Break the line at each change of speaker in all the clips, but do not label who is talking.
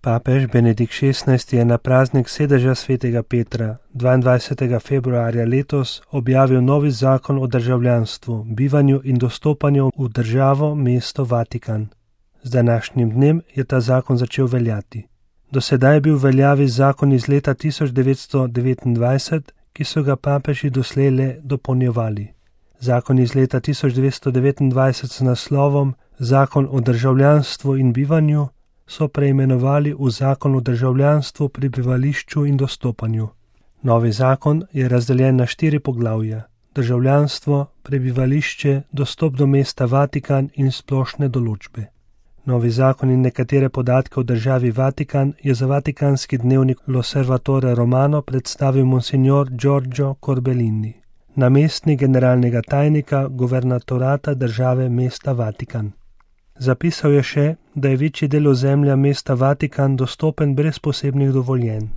Papež Benedikt XVI je na praznik sedeža svetega Petra 22. februarja letos objavil novi zakon o državljanstvu, bivanju in dostopanju v državo mesto Vatikan. Z današnjim dnem je ta zakon začel veljati. Do sedaj je bil v veljavi zakon iz leta 1929, ki so ga papeži doslej le dopolnjevali. Zakon iz leta 1929 s naslovom Zakon o državljanstvu in bivanju so preimenovali v Zakon o državljanstvu, prebivališču in dostopanju. Novi zakon je razdeljen na 4 poglavja: državljanstvo, prebivališče, dostop do mesta Vatikan in splošne določbe. Novi zakon in nekatere podatke o državi Vatikan je za vatikanski dnevnik L'Osservatore Romano predstavil monsignor Giorgio Corbellini, namestnik generalnega tajnika guvernatorata države mesta Vatikan. Zapisal je še, da je večji del ozemlja mesta Vatikan dostopen brez posebnih dovoljenj.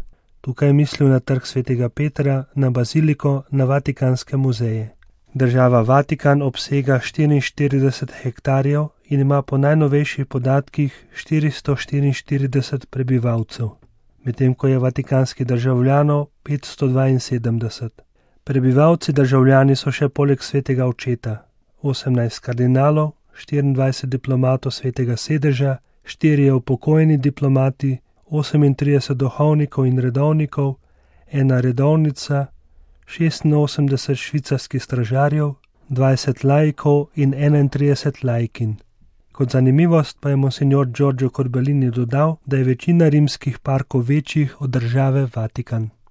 Tukaj je mislil na trg svetega Petra, na baziliko, na vatikanske muzeje. Država Vatikan obsega 44 hektarjev in ima po najnovejših podatkih 444 prebivalcev, medtem ko je vatikanskih državljanov 572. Prebivalci državljani so še poleg svetega očeta 18 kardinalov, 24 diplomatov svetega sedeža, 4 upokojeni diplomati, 38 duhovnikov in redovnikov, 1 redovnica, 86 švicarskih stražarjev, 20 laikov in 31 laikin. Kot zanimivost pa je monsignor Giorgio Corbellini dodal, da je večina rimskih parkov večjih od države Vatikan.